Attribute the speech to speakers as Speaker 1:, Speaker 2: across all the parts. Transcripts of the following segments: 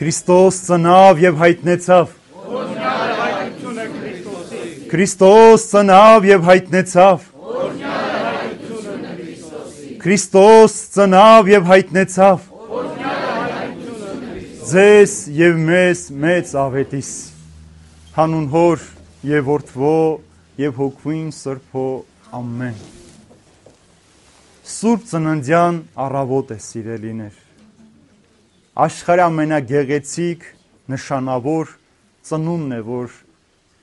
Speaker 1: Քրիստոս ծնավ եւ հայտնեցավ։ Քրիստոս ծնավ եւ հայտնեցավ։ Քրիստոս ծնավ եւ հայտնեցավ։ Ձեզ եւ մեզ մեծ ավետիս։ Հանուն Հոր եւ Որդվո եւ Հոգվին Սրբո ամեն։ Սուրբ ծննդյան առավոտ է, սիրելիներ։ Աշխարհի ամենագեղեցիկ նշանավոր ծնունդն է, որ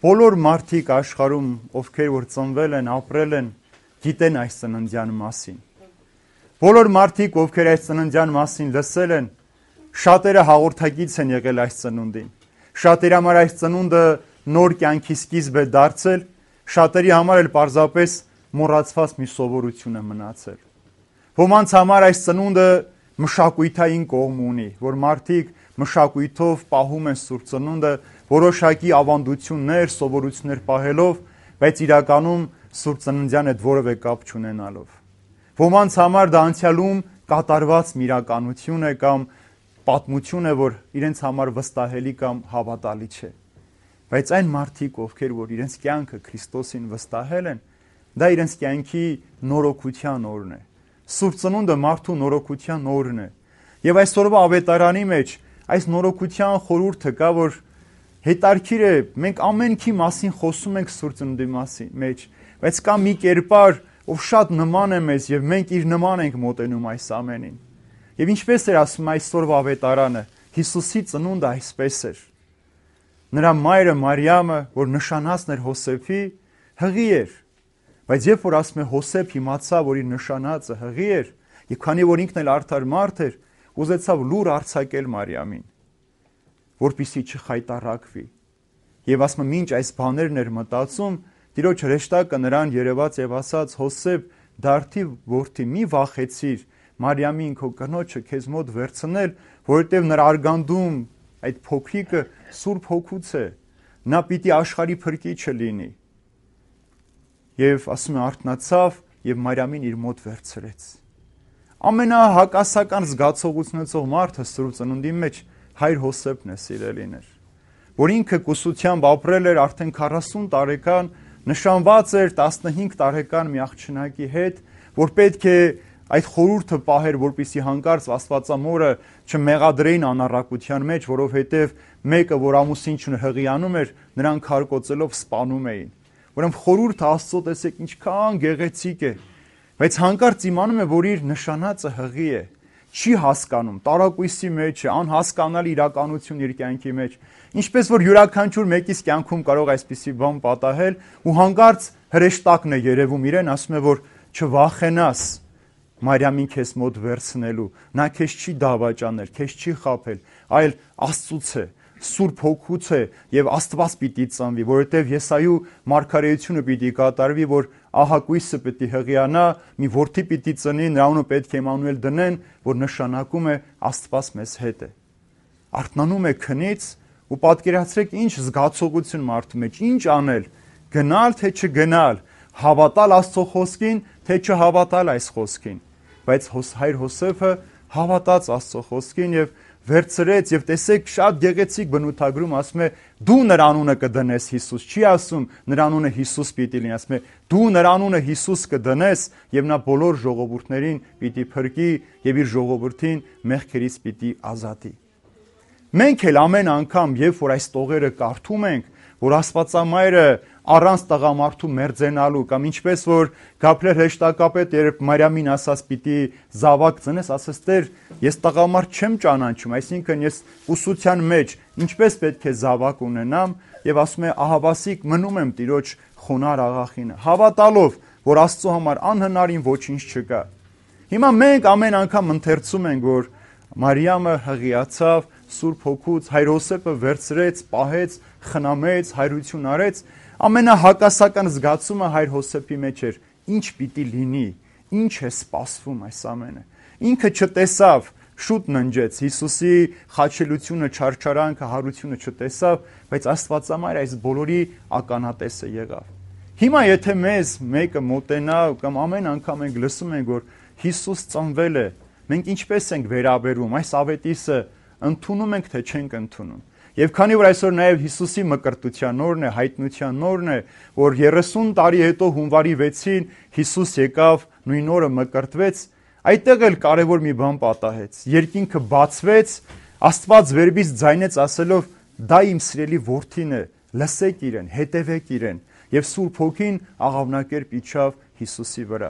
Speaker 1: բոլոր մարդիկ աշխարհում, ովքեր որ ծնվել են, ապրել են, գիտեն այս ծննդյան մասին։ Բոլոր մարդիկ, ովքեր այս ծննդյան մասին լսել են, շատերը հաղորդակից են եղել այս ծնունդին։ Շատերի համար այս ծնունդը նոր կյանքի սկիզբ է դարձել, շատերի համար էլ պարզապես մոռացված մի սովորություն է մնացել։ Ոմանց համար այս ծնունդը մշակույթային կողմ ունի, որ մարդիկ մշակույթով պահում են Սուրբ ծնունդը, որոշակի ավանդություններ, սովորություններ պահելով, բայց իրականում Սուրբ ծննդյան հետ որևէ կապ չունենալով։ Ոմանց համար դա անցյալում կատարված մի իրականություն է կամ պատմություն է, որ իրենց համար վստահելի կամ հավատալի չէ։ Բայց այն մարդիկ, ովքեր որ իրենց կյանքը Քրիստոսին վստահել են, դա իրենց կյանքի նորոգության օրն է։ Սուրբ ծնունդը մարդու նորոգության օրն է։ Եվ այսօրվա ավետարանի մեջ այս նորոգության խորհուրդը կա, որ հետարքիր է, մենք ամենքի մասին խոսում ենք Սուրբ ծնունդի մեջ, բայց կա մի կերպար, ով շատ նման է մեզ եւ մենք իր նման ենք մոտենում այս ամենին։ Եվ ինչպես էր ասում այսօրվա ավետարանը, Հիսուսի ծնունդը այսպես էր։ Նրա մայրը Մարիամը, որ նշանածն էր Հոսեփի, հղի էր։ Բայց երբ որ ասում է Հոսեփ իմացավ, որ իր նշանածը հղի էր, եւ քանի որ ինքն էլ արդար մարդ էր, ուզեցավ լուր արձակել Մարիամին, որպեսզի չխայտառակվի։ Եվ ասում է, մինչ այս բաներն էր մտածում, Տիրոջ հրեշտակը նրան երևաց եւ ասաց. Հոսեփ, դարդի որդի, մի վախեցիր Մարիամին քո կնոջը քեզ մոտ վերցնել, որովհետեւ նրա արգանդում այդ փոքրիկը Սուրբ Հոգուց է, նա պիտի աշխարհի փրկիչը լինի։ Եվ ասում է, արթնացավ եւ Մարիամին իր մոտ վերցրեց։ Ամենահակասական զգացողությունեցող մարդը Սուրբ ծնունդի մեջ հայր Հոսեփն է, սիրելիներ, որ ինքը կուսությամբ ապրել էր արդեն 40 տարեկան, նշանված էր 15 տարեկան մի աղջնակի հետ, որ պետք է այդ խորհուրդը պահեր, որպեսզի հանկարծ Աստվածամորը չմեղադրեին անառակության մեջ, որովհետև մեկը, որ ամուսին չհղիանում էր, նրան քարկոծելով սպանում էին։ Ուրեմն խորհուրդը Աստծո տեսեք ինչքան գեղեցիկ է, բայց հանկարծ իմանում է, որ իր նշանածը հղի է, չի հասկանում, տարակույսի մեջ է, անհասկանալի իրականություն իր կյանքի մեջ, ինչպես որ յուրաքանչյուր մեկիս կյանքում կարող այսպիսի բան պատահել, ու հանկարծ հրեշտակն է երևում իրեն, ասում է, որ չվախենաս Մարիամին քեզ մոտ վերցնելու, նա քեզ չի դավաճանել, քեզ չի խաբել, այլ Աստծուց է, Սուրբ Հոգուց է եւ Աստված պիտի ծնվի, որովհետեւ Եսայու մարգարեությունը պիտի կատարվի, որ ահագույսը պիտի հղիանա, մի որդի պիտի ծնի, նրա անունը պետք է Էմանուել դնեն, որ նշանակում է Աստված մեզ հետ է։ Արթնանում է քնից ու պատկերացրեք ինչ զգացողություն մարդու մեջ, ինչ անել, գնալ թե չգնալ, հավատալ Աստծո խոսքին, թե չհավատալ այս խոսքին։ Բայց հայր Հոսեփը հավատաց Աստծո խոսքին եւ վերցրեց եւ տեսեք շատ գեղեցիկ բնութագրում ասում է դու նրա անունը կդնես Հիսուս, չի ասում նրա անունը Հիսուս պիտի լինի, ասում է դու նրա անունը Հիսուս կդնես եւ նա բոլոր ժողովուրդներին պիտի փրկի եւ իր ժողովրդին մեղքերից պիտի ազատի։ Մենք էլ ամեն անգամ, երբ որ այս տողերը կարդում ենք, որ Աստվածամայրը առանց տղամարդու մերձենալու կամ ինչպես որ Գաբրիել հրեշտակապետը երբ Մարիամին ասաց պիտի զավակ ծնես, ասաց Տեր, ես տղամարդ չեմ ճանաչում, այսինքն ես ուսուցության մեջ ինչպես պետք է զավակ ունենամ, եւ ասում է ահավասիկ մնում եմ Տիրոջ խոնար աղախինը, հավատալով, որ Աստծո համար անհնարին ոչինչ չկա։ Հիմա մենք ամեն անգամ ընթերցում ենք, որ Մարիամը հղիացավ Սուրբ Հոգուց, հայր Հոսեփը վերցրեց, պահեց, խնամեց, հայրություն արեց, ամենահակասական զգացումը հայր Հոսեփի մեջ էր, ինչ պիտի լինի, ինչ է սպասվում այս ամենը։ Ինքը չտեսավ, շուտ ննջեց, Հիսուսի խաչելությունը, չարչարանքը, հարությունը չտեսավ, բայց Աստվածամայր այս բոլորի ականատեսը եղավ։ Հիմա եթե մեզ մեկը մոտենա կամ ամեն անգամ ենք լսում ենք, որ Հիսուս ծնվել է, մենք ինչպես ենք վերաբերվում այս ավետիսը ընդունում ենք, թե չենք ընդունում։ Եվ քանի որ այսօր նաև Հիսուսի մկրտության օրն է, հայտնության օրն է, որ 30 տարի հետո հունվարի 6-ին Հիսուս եկավ, նույն օրը մկրտվեց, այդտեղ էլ կարևոր մի բան պատահեց։ Երկինքը բացվեց, Աստված վերբից ձայնեց ասելով. «Դա իմ սիրելի որդին է, լսեք իրեն, հետևեք իրեն»։ Եվ Սուրբ Հոգին աղավնակերպ իջավ Հիսուսի վրա։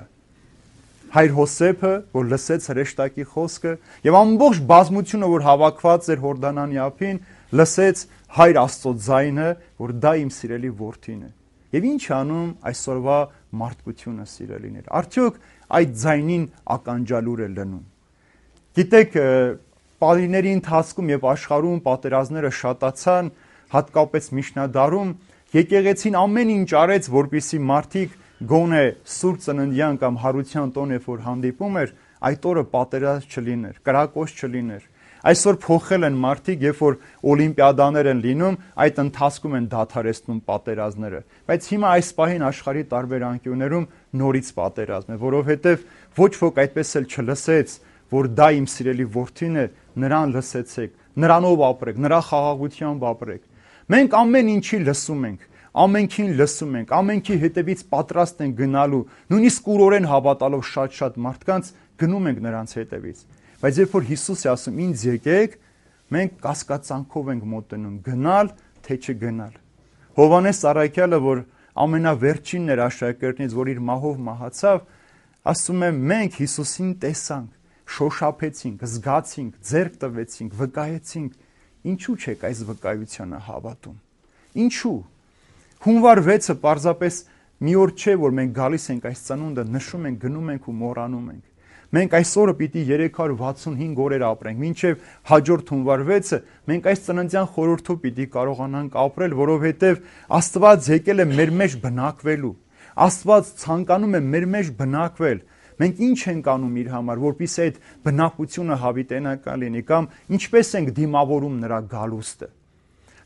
Speaker 1: Հայր Հոսեփը, որ լսեց հրեշտակի խոսքը, եւ ամբողջ բազմությունը, որ հավաքված էր Հորդանանի ափին, լսեց Հայր Աստծո ձայնը, որ դա իմ սիրելի որդին է։ Եվ ինչ անում այսօրվա մարդկությունը, սիրելիներ։ Արդյոք այդ ձայնին ականջալուր է լնում։ Գիտեք, Պարիների ընթացքում եւ աշխարհում պատերազմները շատացան, հատկապես միջնադարում, եկեղեցին ամեն ինչ արեց, որպեսզի մարդիկ գոնե սուրբ ծննդյան կամ հարության տոն, երբ որ հանդիպում էր, այդ օրը պատերազմ չլիներ, կրակոց չլիներ։ Այսօր փոխել են մարդիկ, երբ որ օլիմպիադաներ են լինում, այդ ընթացքում են դադարեցնում պատերազմները։ Բայց հիմա այս պահին աշխարհի տարբեր անկյուններում նորից պատերազմ է, որովհետև ոչ ոք այդպես էլ չլսեց, որ դա իմ սիրելի որդին է, նրան լսեցեք, նրանով ապրեք, նրա խաղաղությամբ ապրեք։ Մենք ամեն ինչի լսում ենք, ամենքին լսում ենք, ամենքի հետևից պատրաստ ենք գնալու, նույնիսկ կուրորեն հավատալով շատ մարդկանց գնում ենք նրանց հետևից։ Բայց երբ որ Հիսուս է ասում ինձ եկեք, մենք կասկածանքով ենք մոտենում, գնալ թե չգնալ։ Հովհաննես Առաքյալը, որ ամենավերջինն էր աշակերտներից, որ իր մահով մահացավ, ասում է մենք Հիսուսին տեսանք, շոշափեցինք, զգացինք, ձեռք տվեցինք, վկայեցինք։ Ինչու՞ չեք այս վկայությանը հավատում։ Ինչու՞։ Հունվար 6-ը պարզապես մի օր չէ, որ մենք գալիս ենք այս ծնունդը, նշում ենք, գնում ենք ու մոռանում ենք։ Մենք այս օրը պիտի 365 օրեր ապրենք, մինչև հաջորդ հունվար 6-ը մենք այս ծննդյան խորհրդով պիտի կարողանանք ապրել, որովհետև Աստված եկել է մեր մեջ բնակվելու։ Աստված ցանկանում է մեր մեջ բնակվել։ Մենք ինչ ենք անում իր համար, որpիսի այդ բնակությունը հավիտենական լինի, կամ ինչպես ենք դիմավորում նրա գալուստը։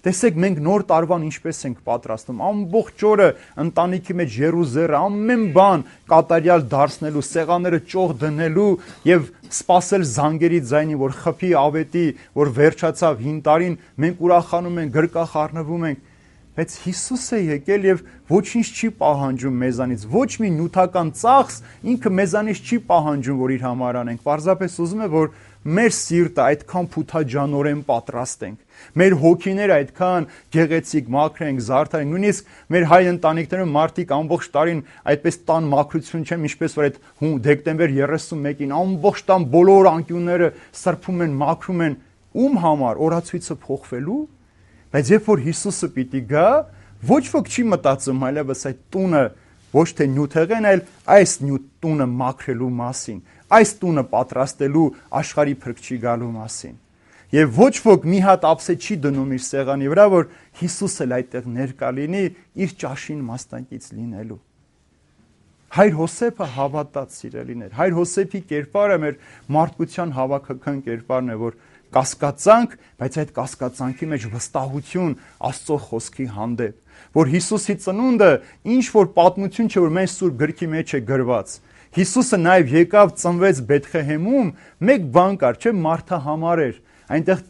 Speaker 1: Տեսեք, մենք նոր տարվան ինչպես ենք պատրաստում, ամբողջ օրը ընտանիքի մեջ եռուզեռը, ամեն բան կատարյալ դարձնելու, սեղանները ճոխ դնելու եւ սпасել զանգերի ձայնին, որ խփի ավետի, որ վերջացավ հին տարին, մենք ուրախանում ենք, գրկախ առնվում ենք։ Բայց Հիսուս է եկել եւ ոչինչ չի պահանջում մեզանից, ոչ մի նյութական ծախս ինքը մեզանից չի պահանջում, որ իր համար անենք։ Պարզապես ուզում է, որ մեր սիրտը այդքան փութաջանորեն պատրաստենք, մեր հոգիները այդքան գեղեցիկ մաքրենք, զարդարենք, նույնիսկ մեր հայ ընտանիքներում մարդիկ ամբողջ տարին այդպես տան մաքրություն չեն, ինչպես որ այդ դեկտեմբեր 31-ին ամբողջ տան բոլոր անկյունները սրբում են, մաքրում են, ում համար օրացույցը փոխվելու։ Բայց երբ որ Հիսուսը պիտի գա, ոչ ոք չի մտածում այլևս այդ տունը ոչ թե նյութեղեն, այլ այս տունը մաքրելու մասին, այս տունը պատրաստելու աշխարհի փրկչի գալու մասին։ Եվ ոչ ոք մի հատ ափսե չի դնում իր սեղանի վրա, որ Հիսուսը այդտեղ ներկա լինի իր ճաշին մասնակից լինելու։ Հայր Հոսեփը հավատաց, սիրելիներ։ Հայր Հոսեփի կերպարը մեր մարդկության հավաքական կերպարն է, որ կասկածանք, բայց այդ կասկածանքի մեջ վստահություն Աստծո խոսքի հանդեպ, որ Հիսուսի ծնունդը ինչ որ պատմություն չէ, որ մեր սուրբ գրքի մեջ է գրված։ Հիսուսը նաև եկավ, ծնվեց Բեթլեհեմում, մեկ բան կար, չէ, մարդը համար էր։ Այնտեղ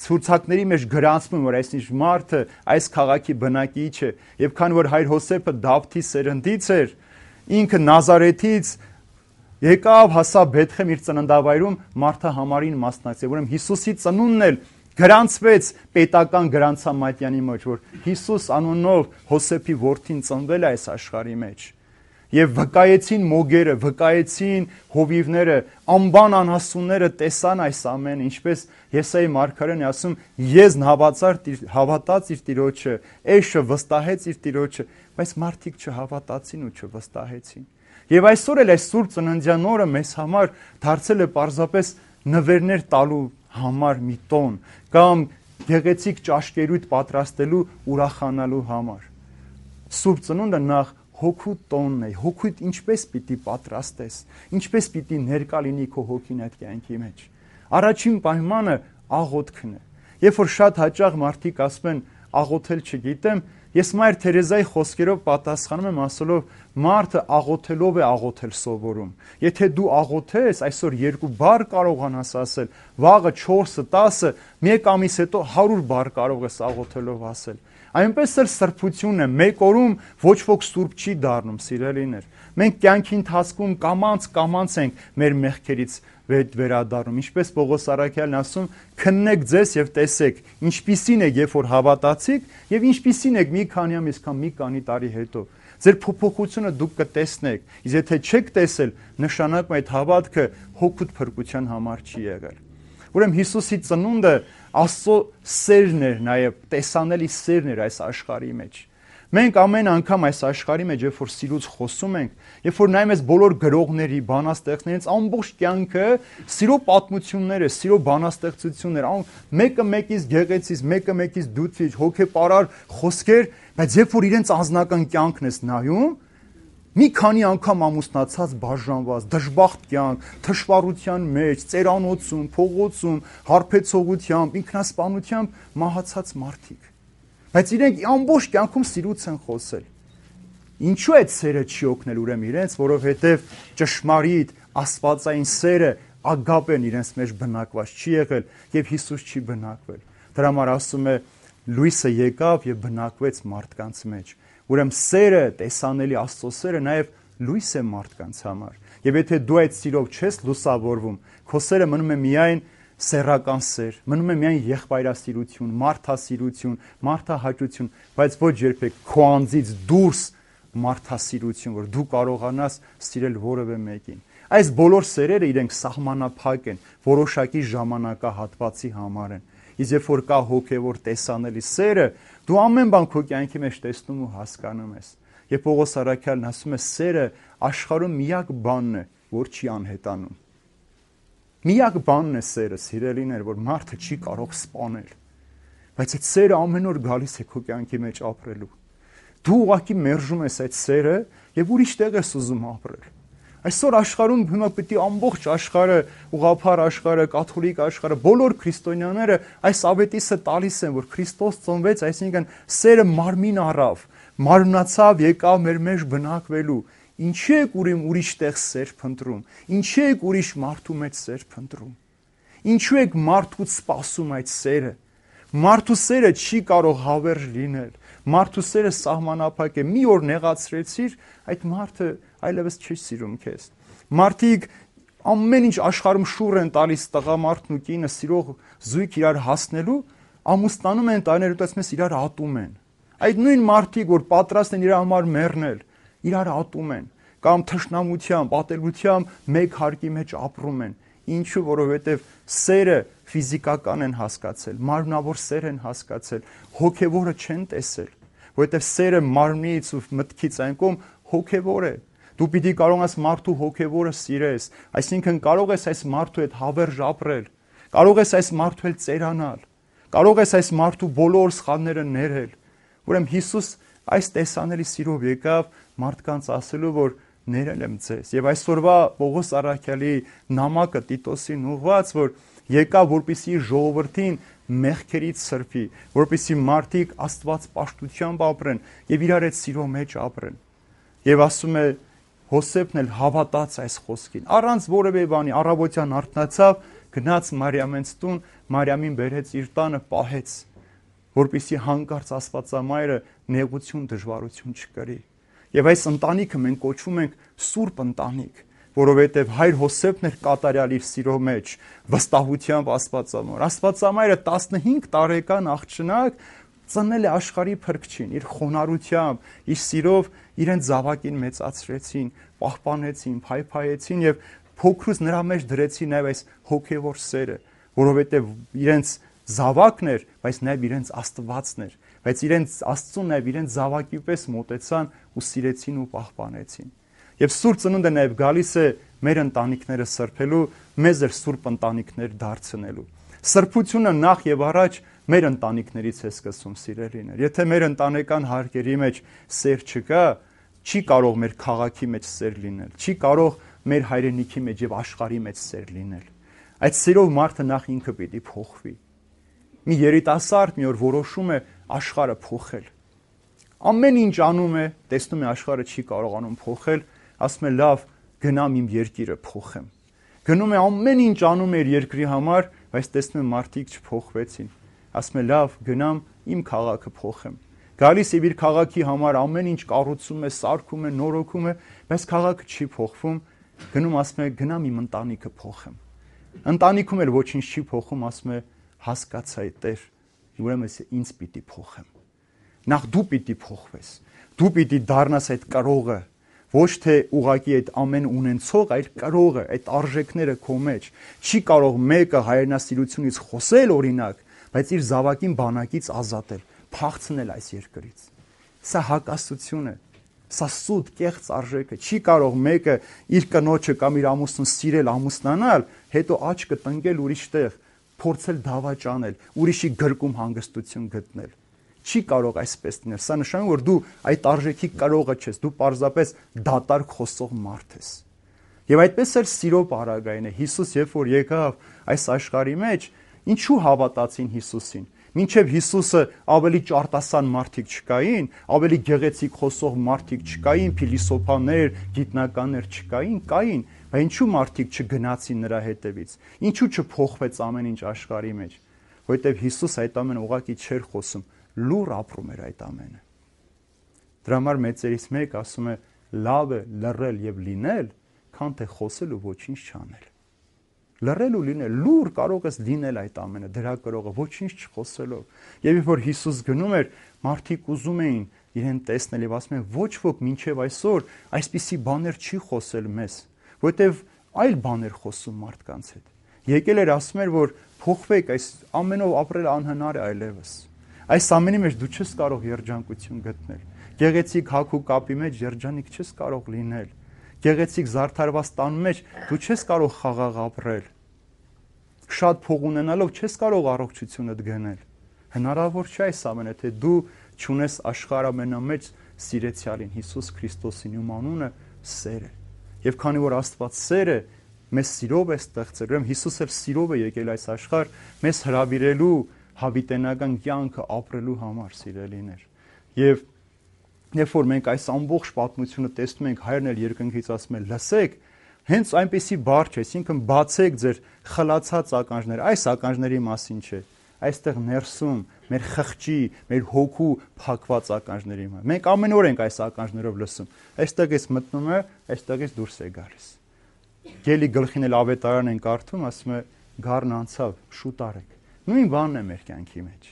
Speaker 1: ցուցակների մեջ գրանցվում, որ այսինչ մարդը այս քաղաքի բնակիչ է, եւ քանի որ հայր Հոսեփը Դավթի սերնդից էր, ինքը Նազարեթից եկավ, հասավ Բեթլեհեմ իր ծննդավայրում, մարդը համարին մասնակցել, ուրեմն Հիսուսի ծնունդն էլ գրանցվեց պետական գրանցամատյանի մեջ, որ Հիսուս անունով Հոսեփի որդին ծնվել է այս աշխարհի մեջ։ Եվ վկայեցին մոգերը, վկայեցին հովիվները, անբան անհասունները տեսան այս ամենը, ինչպես Եսայի մարգարեն է ասում, Եզն հավատաց իր Տիրոջը, Էշը վստահեց իր Տիրոջը, բայց մարդիկ չհավատացին ու չվստահեցին։ Եվ այսօր էլ այս սուրբ ծննդյան օրը մեզ համար դարձել է պարզապես նվերներ տալու համար մի տոն, կամ գեղեցիկ ճաշկերույթ պատրաստելու ուրախանալու համար։ Սուրբ ծնունդը նախ հոգու տոնն է, հոգուդ ինչպես պիտի պատրաստես, ինչպես պիտի ներկա լինի քո հոգին այդ կյանքի մեջ։ Առաջին պայմանը աղոթքն է։ Երբ որ շատ հաճախ մարդիկ ասում են աղոթել չգիտեմ, Ես Մայր Թերեզայի խոսքերով պատասխանում եմ ասելով, մարդը աղոթելով է աղոթել սովորում։ Եթե դու աղոթես, այսօր 2 բառ կարողանաս ասել, վաղը 4-ը, 10-ը, 1 ամիս հետո 100 բառ կարող ես աղոթելով ասել։ Այնպես էլ սրբությունն է, մեկ օրում ոչ ոք սուրբ չի դառնում, սիրելիներ։ Մենք կյանքի ընթացքում կամանց ենք մեր մեղքերից վերադառնում, ինչպես Պողոս Առաքյալն ասում, քննեք ձեզ եւ տեսեք, ինչպիսին եք, երբ որ հավատացիք, եւ ինչպիսին եք մի քանի ամիս կամ մի քանի տարի հետո։ Ձեր փոփոխությունը դուք կտեսնեք, իսկ եթե չեք տեսել, նշանակում է այդ հավատքը հոգուտ փրկության համար չի եղել։ Ուրեմն Հիսուսի ծնունդը Աստծո սերն էր, նաեւ տեսանելի սերն էր այս աշխարհի մեջ։ Մենք ամեն անգամ այս աշխարհի մեջ, երբ որ սիրուց խոսում ենք, երբ որ նայում ես բոլոր գրողների, բանաստեղծներից ամբողջ կյանքը սիրո պատմություններ է, սիրո բանաստեղծություններ, մեկը մեկից գեղեցիկ, մեկը մեկից դյութիչ, հոգեպարար խոսքեր, բայց երբ որ իրենց անձնական կյանքն ես նայում, մի քանի անգամ ամուսնացած բաժանված, դժբախտ կյանք, թշվառության մեջ, ծերանոցում, փողոցում, հարբեցողությամբ, ինքնասպանությամբ մահացած մարդիկ։ Բայց իրենք ամբողջ կյանքում սիրուց են խոսել։ Ինչու այդ սերը չի օգնել ուրեմն իրենց, որովհետև ճշմարիտ աստվածային սերը ագապեն իրենց մեջ բնակված չի եղել եւ Հիսուս չի բնակվել։ Դրա համար ասում է լույսը եկավ եւ բնակվեց մարդկանց մեջ։ Ուրեմն սերը, տեսանելի Աստծո սերը նաեւ լույս է մարդկանց համար։ Եվ եթե դու այդ սիրով չես լուսավորվում, քո սերը մնում է միայն սեռական սեր, մնում է միայն եղբայրասիրություն, մարդասիրություն, մարդահաճություն, բայց ոչ երբեք քո անձից դուրս մարդասիրություն, որ դու կարողանաս սիրել որևէ մեկին։ Այս բոլոր սերերը իրենք սահմանափակ են, որոշակի ժամանակահատվածի համար են։ Իսկ երբ որ կա հոգևոր տեսանելի սերը, դու ամեն բան քո կյանքի մեջ տեսնում ու հասկանում ես։ Եվ Պողոս Առաքյալն ասում է, սերը աշխարհում միակ բանն է, որ չի անհետանում։ Միակ բանն է սերը, սիրելիներ, որ մարդը չի կարող սպանել։ Բայց այդ սերը ամեն օր գալիս է քո կյանքի մեջ ապրելու։ Դու ուղղակի մերժում ես այդ սերը եւ ուրիշ տեղ ես ուզում ապրել։ Այսօր աշխարհում հիմա պիտի ամբողջ աշխարհը, ուղղափառ աշխարհը, կաթոլիկ աշխարհը, բոլոր քրիստոնյաները այս ավետիսը տալիս են, որ Քրիստոս ծնվեց, այսինքն սերը մարմին առավ, մարմնացավ, եկավ մեր մեջ բնակվելու։ Ինչի եք ուրիշ տեղ սեր փնտրում։ Ինչի եք ուրիշ մարդու մեջ սեր փնտրում։ Ինչու եք մարդուց սպասում այդ սերը։ Մարդու սերը չի կարող հավերժ լինել։ Մարդու սերը սահմանափակ է։ Մի օր նեղացրեցիր, այդ մարդը այլևս չի սիրում քեզ։ Մարդիկ ամեն ինչ աշխարհում շուռ են տալիս տղամարդն ու կինը սիրող զույգ իրար հասնելու, ամուսնանում են, տարիներ հետո ասում իրար ատում են։ Այդ նույն մարդիկ, որ պատրաստ են իր համար մեռնել, իրար ատում են, կամ թշնամությամբ, ատելությամբ մեկ հարկի մեջ ապրում են։ Ինչու, որովհետև սերը ֆիզիկական են հասկացել, մարմնավոր սեր են հասկացել, հոգևորը չեն տեսել, որովհետև սերը մարմնից ու մտքից այն կողմ հոգևոր է։ Դու պիտի կարողանաս մարդու հոգևորը սիրես, այսինքն կարող ես այս մարդու հետ հավերժ ապրել, կարող ես այս մարդու հետ ծերանալ, կարող ես այս մարդու բոլոր սխալները ներել։ Ուրեմն Հիսուս այս տեսանելի սիրով եկավ մարդկանց ասելու, որ ներել եմ ձեզ։ Եվ այսօրվա Պողոս Առաքյալի նամակը Տիտոսին ուղղված, որ եկավ, որպեսզի ժողովրդին մեղքերից սրբի, որպեսզի մարդիկ Աստված պաշտությամբ ապրեն եւ իրար հետ սիրո մեջ ապրեն։ Եվ ասում է Հոսեփն էլ հավատաց այս խոսքին, առանց որևէ բանի, առավոտյան արթնացավ, գնաց Մարիամենց տուն, Մարիամին բերեց իր տանը, պահեց, որպեսզի հանկարծ Աստվածամայրը նեղություն, դժվարություն չկրի։ Եվ այս ընտանիքը մենք կոչվում ենք սուրբ ընտանիք, որովհետև հայր Հոսեփն էր կատարյալ իր սիրո մեջ, վստահությամբ Աստվածամայր։ Աստվածամայրը 15 տարեկան աղջնակ ծննել է աշխարհի փրկչին, իր խոնարհությամբ, իր սիրով իրեն զավակին մեծացրեցին, պահպանեցին, փայփայեցին եւ փոքրուց նրա մեջ դրեցին նաեւ այս հոգեվոր սերը, որովհետեւ իրենց զավակն էր, բայց նաեւ իրենց Աստվածն էր, բայց իրենց Աստծուն նաեւ իրենց զավակի պես մոտեցան ու սիրեցին ու պահպանեցին։ Եվ Սուրբ Ծնունդը նաեւ գալիս է մեր ընտանիքները սրբելու, մեզ էլ սուրբ ընտանիքներ դարձնելու։ Սրբությունը նախ եւ առաջ մեր ընտանիքներից է սկսում, սիրելիներ։ Եթե մեր ընտանեկան հարկերի մեջ սեր չկա, չի կարող մեր քաղաքի մեջ սեր լինել, չի կարող մեր հայրենիքի մեջ եւ աշխարհի մեջ սեր լինել։ Այդ սերով մարդը նախ ինքը պիտի փոխվի։ Մի երիտասարդ մի օր որոշում է աշխարհը փոխել։ ամեն ինչ անում է, տեսնում է աշխարհը չի կարողանում փոխել, ասում է լավ, գնամ իմ երկիրը փոխեմ։ Գնում է ամեն ինչ անում է իր երկրի համար, բայց տեսնում է մարդիկ չփոխվեցին։ Ասում է լավ, գնամ իմ քաղաքը փոխեմ։ Գալիս է իր քաղաքի համար ամեն ինչ կառուցում է, սարքում է, նորոգում է, բայց քաղաքը չի փոխվում։ Գնում ասում է գնամ իմ ընտանիքը փոխեմ։ Ընտանիքում էլ ոչինչ չի փոխում, ասում է հասկացա Տեր, ուրեմն ինձ պիտի փոխեմ։ Նախ դու պիտի փոխվես։ Դու պիտի դառնաս այդ կրողը, ոչ թե ուղակի այդ ամեն ունենցող, այլ կրողը, այդ արժեքները քո մեջ։ Չի կարող մեկը հայրենասիրությունից խոսել օրինակ, բայց իր զավակին բանակից ազատել, փախցնել այս երկրից։ Սա հակասություն է։ Սա սուտ կեղծ արժեք է։ Չի կարող մեկը իր կնոջը կամ իր ամուսնուն սիրել, ամուսնանալ, հետո աչքը տնկել ուրիշտեղ, փորձել դավաճանել, ուրիշի գրկում հանգստություն գտնել։ Չի կարող այսպես լինել։ Սա նշանակում է, որ դու այդ արժեքի կրողը չես, դու պարզապես դատարկ խոսող մարդ ես։ Եվ այդպես էլ սիրո պարագային է։ Հիսուս երբ որ եկավ այս աշխարհի մեջ, ինչու հավատացին Հիսուսին։ Մինչև Հիսուսը ավելի ճարտասան մարդիկ չկային, ավելի գեղեցիկ խոսող մարդիկ չկային, փիլիսոփաներ, գիտնականներ չկային, կային, բայց ինչու մարդիկ չգնացին նրա հետևից։ Ինչու չփոխվեց ամեն ինչ աշխարհի մեջ։ Որովհետև Հիսուս այդ ամենը ուղղակի չէր խոսում, լուր ապրում էր այդ ամենը։ Դրա համար մեծերից մեկ ասում է լավ է լռել եւ լինել, քան թե խոսել ու ոչինչ չանել։ Լռել ու լինել, լուր կարող ես լինել այդ ամենը, դրա կրողը ոչինչ չխոսելով։ Եվ երբ որ Հիսուս գնում էր, մարդիկ ուզում էին իրեն տեսնել եւ ասում են ոչ ոք մինչեւ այսօր այսպիսի բաներ չի խոսել մեզ, որովհետեւ այլ բաներ խոսում մարդկանց հետ։ Եկել էր ասում էր, որ փոխվեք, այս ամենով ապրել անհնար է այլևս։ Այս ամենի մեջ դու չես կարող երջանկություն գտնել։ Գեղեցիկ հագու կապի մեջ երջանիկ չես կարող լինել։ Գեղեցիկ զարդարված տան մեջ դու չես կարող խաղաղ ապրել։ Շատ փող ունենալով չես կարող առողջությունդ գնել։ Հնարավոր չէ այս ամենը, թե դու չունես աշխարհ ամենամեծ սիրեցյալին Հիսուս Քրիստոսին, ում անունը սեր է։ Եվ քանի որ Աստված սեր է, մեզ սիրով է ստեղծել, ուրեմն Հիսուս էլ սիրով է եկել այս աշխարհ մեզ հրավիրելու հավիտենական կյանքը ապրելու համար, սիրելիներ։ Եվ երբ որ մենք այս ամբողջ պատմությունը տեսնում ենք, Հայրն էլ երկնքից ասում է լսեք, հենց այնպեսի բառ չէ, այսինքն բացեք ձեր խլացած ականջները, այս ականջների մասին չէ, այստեղ ներսում մեր խղճի, մեր հոգու փակված ականջների մասին։ Մենք ամեն օր ենք այս ականջներով լսում, այստեղից մտնում է, այստեղից դուրս է գալիս։ Գելի գլխին էլ ավետարան են կարդում, ասում է գառն անցավ, շուտ արեք։ Նույն բանն է մեր կյանքի մեջ։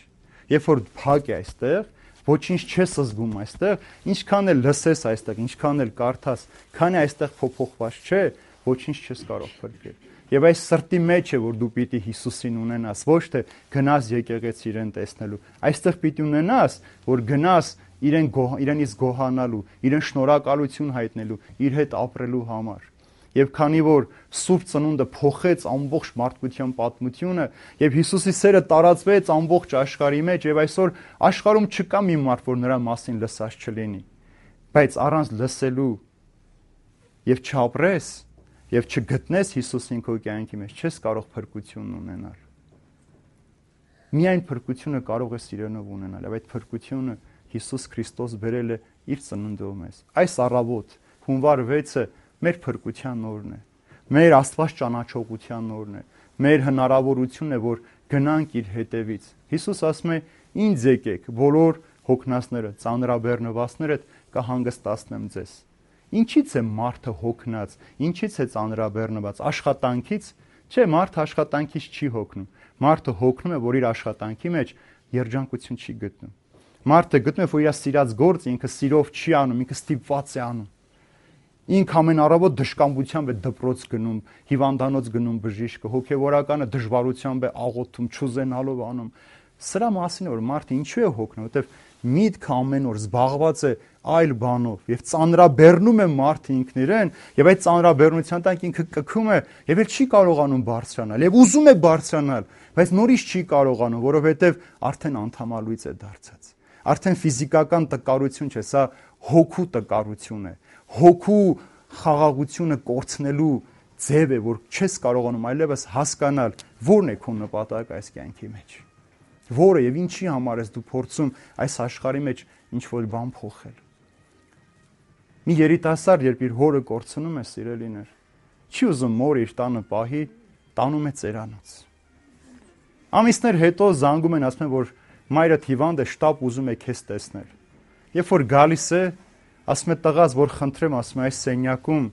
Speaker 1: Երբ որ փակ է այստեղ, ոչինչ չես զգում այստեղ, ինչքան էլ լսես այստեղ, ինչքան էլ կարդաս, քանի այստեղ փոփոխված չէ, ոչինչ չես կարող փրկել։ Եվ այս սրտի մեջ է, որ դու պիտի Հիսուսին ունենաս, ոչ թե գնաս եկեղեցի իրեն տեսնելու։ Այստեղ պիտի ունենաս, որ գնաս իրենից գոհանալու, իրեն շնորհակալություն հայտնելու, իր հետ ապրելու համար։ Եվ քանի որ Սուրբ Ծնունդը փոխեց ամբողջ մարդկության պատմությունը, եւ Հիսուսի սերը տարածվեց ամբողջ աշխարհի մեջ, եւ այսօր աշխարհում չկա մի մարդ, որ նրա մասին լսած չլինի, բայց առանց լսելու եւ չապրես եւ չգտնես Հիսուսին քո կյանքի մեջ, չես կարող փրկություն ունենալ։ Միայն փրկությունը կարող է սիրենով ունենալ, եւ այդ փրկությունը Հիսուս Քրիստոս բերել է իր ծնունդով մեզ։ Այս առավոտ հունվար 6-ը մեր փրկության օրն է, մեր Աստված ճանաչողության օրն է, մեր հնարավորությունն է, որ գնանք իր հետևից։ Հիսուս ասում է. «Ինձ եկեք, բոլոր հոգնածները, ծանրաբեռնվածները, կհանգստացնեմ ձեզ»։ Ինչից է մարդը հոգնած, ինչից է ծանրաբեռնված, աշխատանքից։ Չէ, մարդը աշխատանքից չի հոգնում։ Մարդը հոգնում է, որ իր աշխատանքի մեջ երջանկություն չի գտնում։ Մարդը գտնում է, որ իր սիրած գործը ինքը սիրով չի անում, ինքը ստիպված է անում։ Ինք ամեն առավոտ դժկամությամբ է դպրոց գնում, հիվանդանոց գնում բժիշկը, հոգևորականը դժվարությամբ է աղոթում, չուզենալով անում։ Սրա մասին որ մարդը ինչու է հոգնում, որովհետև միտքը ամեն օր զբաղված է այլ բանով եւ ծանրաբեռնում է մարդը ինքն իրեն, եւ այդ ծանրաբեռնության տակ ինքը կքում է եւ էլ չի կարողանում բարձրանալ եւ ուզում է բարձրանալ, բայց նորից չի կարողանում, որովհետեւ արդեն անդամալույց է դարձած։ Արդեն ֆիզիկական տկարություն չէ, սա հոգու տկարություն է։ Հոգու խաղաղությունը կորցնելու ձև է, որ չես կարողանում այլևս հասկանալ որն է քո նպատակը այս կյանքի մեջ։ որը եւ ինչի համար ես դու փորձում այս աշխարհի մեջ ինչ որ բան փոխել։ Մի երիտասարդ երբ իր հորը կորցնում է, սիրելիներ, չի ուզում մորը իր տանը պահի, տանում է ծերանոց։ Ամիսներ հետո զանգում են, ասում են, որ մայրդ հիվանդ է, շտապ ուզում է քեզ տեսնել։ Երբ որ գալիս է, ասում է տղաս, որ խնդրեմ, ասում է այս սենյակում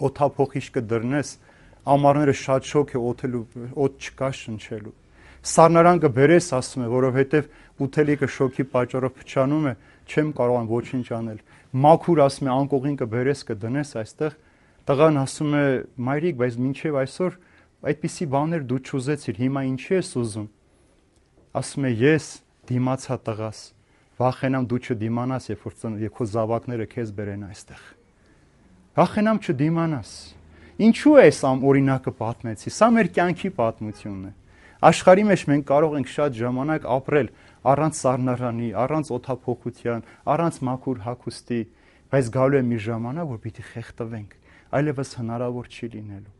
Speaker 1: օթափողիչ կդրնես, ամառները շատ շոգ է, օդ չկա շնչելու։ Սառնարան կբերես, ասում է, որովհետև ուտելիքը շոգի պատճառով փչանում է, չեմ կարող ոչինչ անել։ Մաքուր, ասում է, անկողին կբերես, կդնես այստեղ։ Տղան ասում է, մայրիկ, բայց մինչև այսօր այդպիսի բաներ դու չուզեցիր, հիմա ինչի ես ուզում։ Ասում է, ես դիմացա տղաս, վախենամ դու չդիմանաս, երբ քո զավակները քեզ բերեն այստեղ։ Վախենամ չդիմանաս։ Ինչու է այս օրինակը պատմեցի։ Սա մեր կյանքի պատմությունն է։ Աշխարհի մեջ մենք կարող ենք շատ ժամանակ ապրել առանց սառնարանի, առանց օթափողության, առանց մաքուր հագուստի, բայց գալու է մի ժամանակ, որ պիտի խեղդվենք, այլևս հնարավոր չի լինելու։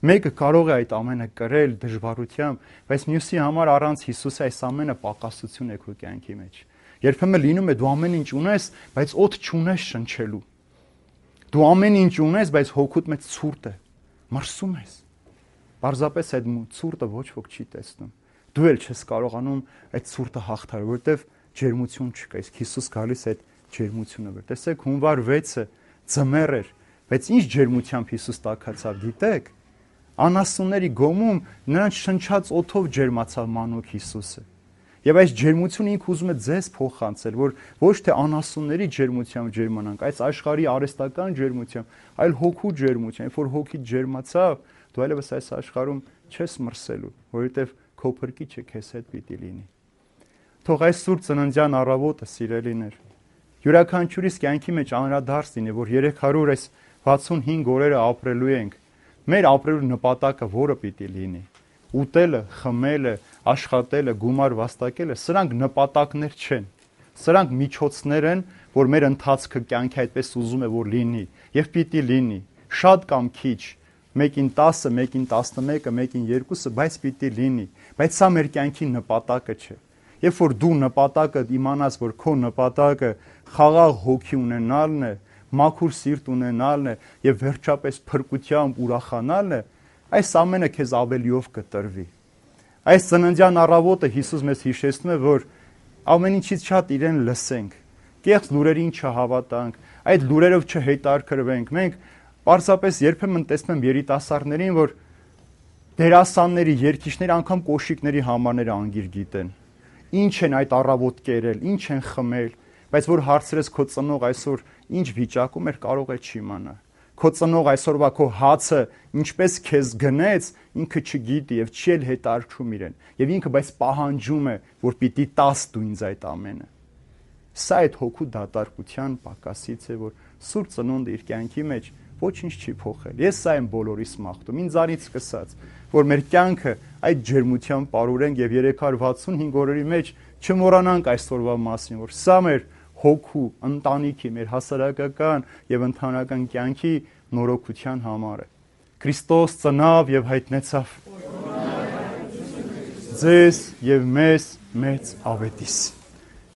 Speaker 1: Մեկը կարող է այդ ամենը կրել դժվարությամբ, բայց մյուսի համար առանց Հիսուսի այս ամենը պակասություն է քո կյանքի մեջ։ Երբեմն լինում է դու ամեն ինչ ունես, բայց օդ չունես շնչելու։ Դու ամեն ինչ ունես, բայց հոգուդ մեջ ցուրտ է, մրսում ես։ Պարզապես այդ ցուրտը ոչ ոք չի տեսնում։ Դու էլ չես կարողանում այդ ցուրտը հաղթահարել, որովհետև ջերմություն չկա։ Իսկ Հիսուս գալիս է այդ ջերմությունը վեր։ Տեսեք, հունվար 6-ը ձմեռ էր, բայց ինչ ջերմությամբ Հիսուս տաքացավ, գիտեք։ Անասունների գոմում նրանց շնչած օդով ջերմացավ մանուկ Հիսուսը։ Եվ այս ջերմությունը ինքը ուզում է ձեզ փոխանցել, որ ոչ թե անասունների ջերմությամբ ջերմանանք, այս աշխարհի արհեստական ջերմությամբ, այլ հոգու ջերմությամբ, որ հոգի ջերմացավ, դու այլևս այս աշխարհում չես մրսելու, որովհետև քո փրկիչը քեզ հետ պիտի լինի։ Թող այս սուրբ ծննդյան առավոտը, սիրելիներ, յուրաքանչյուրիս կյանքի մեջ անդրադարձ լինի, որ 365 օրերը ապրելու ենք։ Մեր ապրելու նպատակը որը պիտի լինի։ Ուտելը, խմելը, աշխատելը, գումար վաստակելը, սրանք նպատակներ չեն։ Սրանք միջոցներ են, որ մեր ընթացքը կյանքի այդպես ուզում է որ լինի, եւ պիտի լինի։ Շատ կամ քիչ, մեկին 10, մեկին 11, մեկին 2, բայց պիտի լինի։ Բայց սա մեր կյանքի նպատակը չէ։ Երբ որ դու նպատակը իմանաս, որ քո նպատակը խաղաղ հոգի ունենալն է, մաքուր սիրտ ունենալն է եւ վերջապես փրկությամբ ուրախանալն է, այս ամենը քեզ ավելիով կտրվի։ Այս ծննդյան առավոտը Հիսուս մեզ հիշեցնում է, որ ամեն ինչից շատ իրեն լսենք, կեղծ լուրերին չհավատանք, այդ լուրերով չհետաքրքրվենք։ Մենք պարզապես երբեմն տեսնում եմ երիտասարդներին, որ դերասանների, երգիչների, անգամ կոշիկների համարները անգիր գիտեն։ Ինչ են այդ առավոտ կերել, ինչ են խմել, բայց որ հարցրես քո ծնող այսօր ինչ վիճակում էր, կարող է չիմանա։ Քո ծնող այսօրվա քո հացը ինչպես քեզ գնեց, ինքը չգիտի եւ չի էլ հետարքում իրեն։ Եվ ինքը բայց պահանջում է, որ պիտի տաս դու ինձ այդ ամենը։ Սա այդ հոգու դատարկության պակասից է, որ Սուրբ Ծնունդը իր կյանքի մեջ ոչինչ չի փոխել։ Ես սա եմ բոլորիս մաղթում, ինձանից սկսած, որ մեր կյանքը այդ ջերմությամբ ապրենք եւ 365 օրերի մեջ չմոռանանք այսօրվա մասին, որ սա մեր հոգու, ընտանիքի, մեր հասարակական եւ ընդհանրական կյանքի նորոգության համար է։ Քրիստոս ծնավ եւ հայտնեցավ ձեզ եւ մեզ մեծ ավետիս։